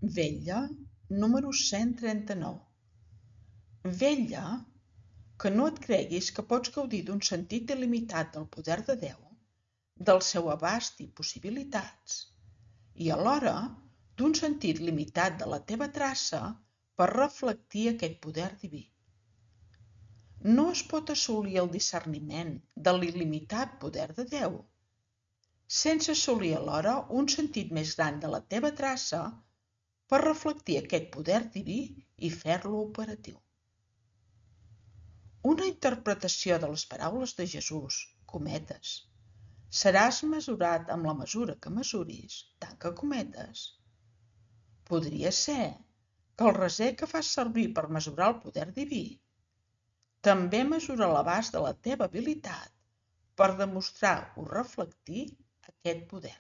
Vetlla, número 139. Vetlla que no et creguis que pots gaudir d'un sentit il·limitat del poder de Déu, del seu abast i possibilitats, i alhora d'un sentit limitat de la teva traça per reflectir aquest poder diví. No es pot assolir el discerniment de l'il·limitat poder de Déu sense assolir alhora un sentit més gran de la teva traça per reflectir aquest poder diví i fer-lo operatiu. Una interpretació de les paraules de Jesús, cometes, seràs mesurat amb la mesura que mesuris, tanca cometes. Podria ser que el raser que fas servir per mesurar el poder diví també mesura l'abast de la teva habilitat per demostrar o reflectir aquest poder.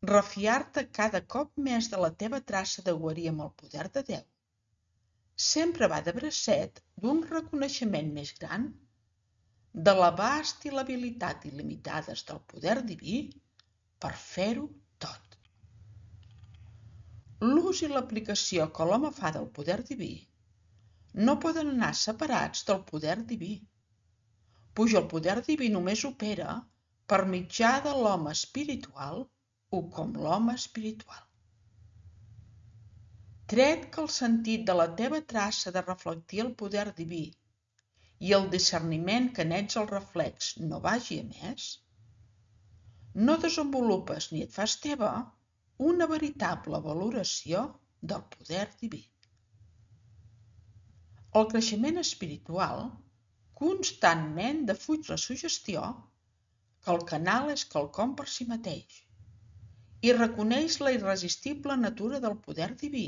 Refiar-te cada cop més de la teva traça de guarir amb el poder de Déu sempre va de bracet d'un reconeixement més gran de l'abast i l'habilitat il·limitades del poder diví per fer-ho tot. L'ús i l'aplicació que l'home fa del poder diví no poden anar separats del poder diví, puix el poder diví només opera per mitjà de l'home espiritual o com l'home espiritual. Tret que el sentit de la teva traça de reflectir el poder diví i el discerniment que n'ets el reflex no vagi a més, no desenvolupes ni et fas teva una veritable valoració del poder diví. El creixement espiritual constantment defuig la suggestió que el canal és quelcom per si mateix i reconeix la irresistible natura del poder diví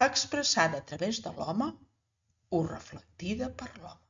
expressada a través de l'home o reflectida per l'home.